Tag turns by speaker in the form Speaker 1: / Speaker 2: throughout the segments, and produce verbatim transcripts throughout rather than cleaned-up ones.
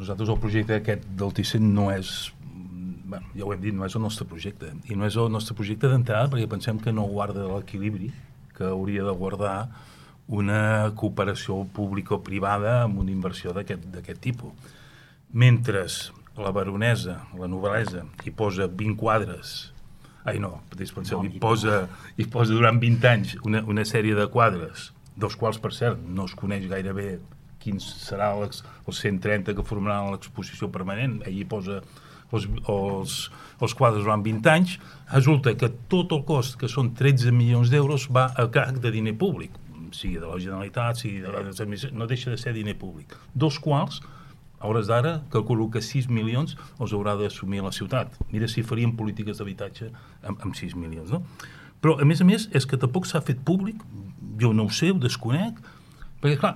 Speaker 1: nosaltres el projecte aquest del Thyssen no és, bueno, ja ho hem dit, no és el nostre projecte. I no és el nostre projecte d'entrada perquè pensem que no guarda l'equilibri que hauria de guardar una cooperació público-privada amb una inversió d'aquest tipus. Mentre la Baronesa, la Noblesa, hi posa vint quadres, ai no, dispenseu, hi posa, hi posa durant vint anys una, una sèrie de quadres, dels quals, per cert, no es coneix gaire bé quins serà els cent trenta que formaran l'exposició permanent, ell hi posa els, els, els quadres durant vint anys, resulta que tot el cost, que són tretze milions d'euros, va a càrrec de diner públic, sigui de la Generalitat, sigui de les administracions, no deixa de ser diner públic, dos quals, a hores d'ara, calculo que sis milions els haurà d'assumir la ciutat. Mira si faríem polítiques d'habitatge amb, amb sis milions, no? Però, a més a més, és que tampoc s'ha fet públic, jo no ho sé, ho desconec, perquè, clar,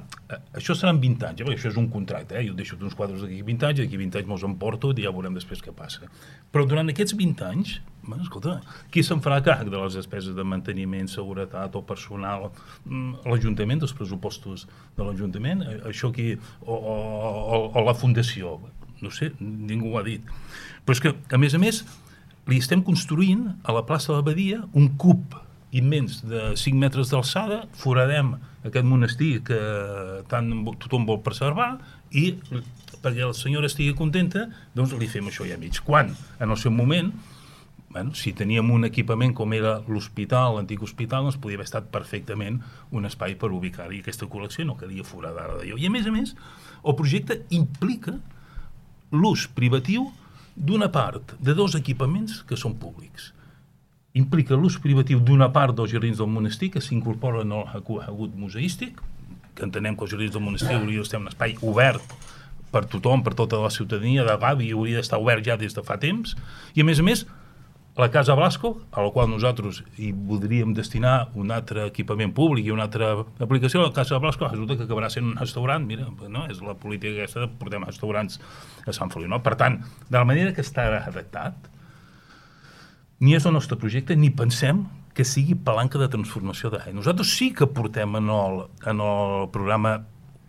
Speaker 1: això seran vint anys, eh? Perquè això és un contracte, eh? Jo deixo uns quadres d'aquí vint anys, d'aquí vint anys me'ls emporto i ja veurem després què passa. Però durant aquests vint anys, bueno, escolta, qui se'n farà càrrec de les despeses de manteniment, seguretat o personal? L'Ajuntament, dels pressupostos de l'Ajuntament? Això aquí, o, o, o la Fundació? No sé, ningú ho ha dit. Però és que, a més a més, li estem construint a la plaça de l'Abadia un cub immens de cinc metres d'alçada, foradem aquest monestir que tant tothom vol preservar i perquè la senyora estigui contenta, doncs li fem això ja mig. Quan, en el seu moment, bueno, si teníem un equipament com era l'hospital, l'antic hospital, doncs podia haver estat perfectament un espai per ubicar-hi aquesta col·lecció, no calia foradar d'allò. I a més a més, el projecte implica l'ús privatiu d'una part de dos equipaments que són públics. Implica l'ús privatiu d'una part dels jardins del monestir que s'incorporen al hagut museístic, que entenem que els jardins del monestir hauria d'estar un espai obert per tothom, per tota la ciutadania de Gavi, i hauria d'estar obert ja des de fa temps, i a més a més la Casa Blasco, a la qual nosaltres hi voldríem destinar un altre equipament públic i una altra aplicació, la Casa Blasco resulta que acabarà sent un restaurant, mira, no? És la política aquesta de portem restaurants a Sant Feliu, no? Per tant, de la manera que està redactat, ni és el nostre projecte, ni pensem que sigui palanca de transformació de l'A E. Nosaltres sí que portem en el, en el programa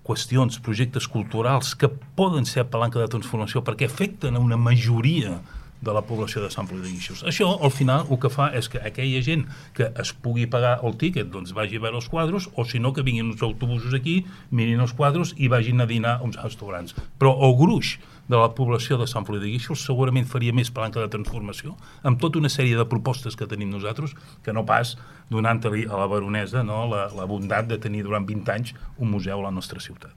Speaker 1: qüestions, projectes culturals que poden ser palanca de transformació perquè afecten a una majoria de la població de Sant Feliu de Guíxols. Això, al final, el que fa és que aquella gent que es pugui pagar el tíquet doncs vagi a veure els quadres, o si no, que vinguin uns autobusos aquí, mirin els quadres i vagin a dinar a uns restaurants. Però el gruix de la població de Sant Feliu de Guíxols segurament faria més palanca de transformació amb tota una sèrie de propostes que tenim nosaltres que no pas donant-li a la Baronesa, no, la, la bondat de tenir durant vint anys un museu a la nostra ciutat.